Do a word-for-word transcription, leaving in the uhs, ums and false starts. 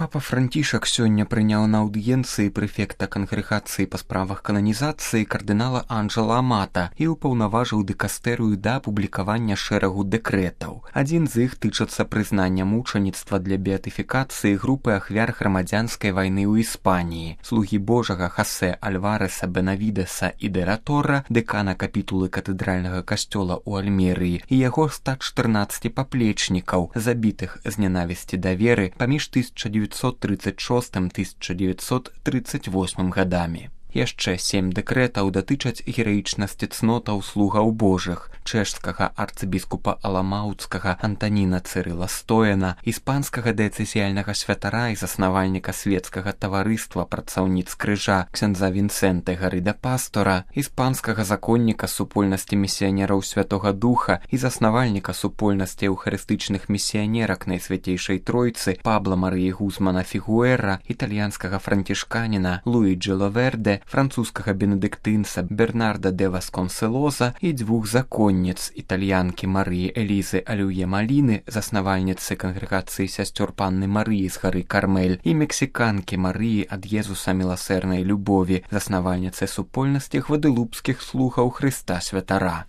Папа Францішак сёння прыняў на аўдыенцыі прэфекта кангрэгацыі па справах кананізацыі кардынала Анджела Амата і ўпаўнаважыў дыкастэрыю да апублікавання шэрагу дэкрэтаў. Адзін з іх тычацца прызнання мучаніцтва для беатыфікацыі групы ахвяр грамадзянскай вайны ў Іспаніі, слугі Божага Хосе Альвареса Бенавідеса і де ла Торра, дэкана капітулы катэдральнага касцёла ў Альмерыі, і яго ста чатырнаццаці паплечнікаў, забітых з нянавісці да веры паміж тысяча дзевяцьсот трыццаць шостым - тысяча дзевяцьсот трыццаць восьмым гадамі. Яшчэ сем дэкрэтаў датычаць гераічнасці цнотаў слугаў Божых, чэшскага арцыбіскупа Аламаўцкага Антаніна Цырыла Стояна, іспанскага дыяцэзіяльнага святара і заснавальніка свецкага таварыства працаўніц крыжа ксяндза Вінсэнта Гарыда Пастора, іспанскага законніка супольнасці місіянераў Святога Духа і заснавальніка супольнасці эўхарыстычных місіянерак Найсвяцейшай Тройцы Пабла Марыі Гузмана Фігуэра, італьянскага францішканіна Луіджі Ловерде, французскага бенедыктынца Бернарда де Васконселоза і дзвюх законніц, італьянкі Марыі Элізы Алюе Маліны, заснавальніцы кангрэгацыі сясцёр Панны Марыі з гары Кармель, і мексіканкі Марыі ад Езуса міласэрнай любові, заснавальніцы супольнасці гвадэлупскіх слугаў Хрыста Святара.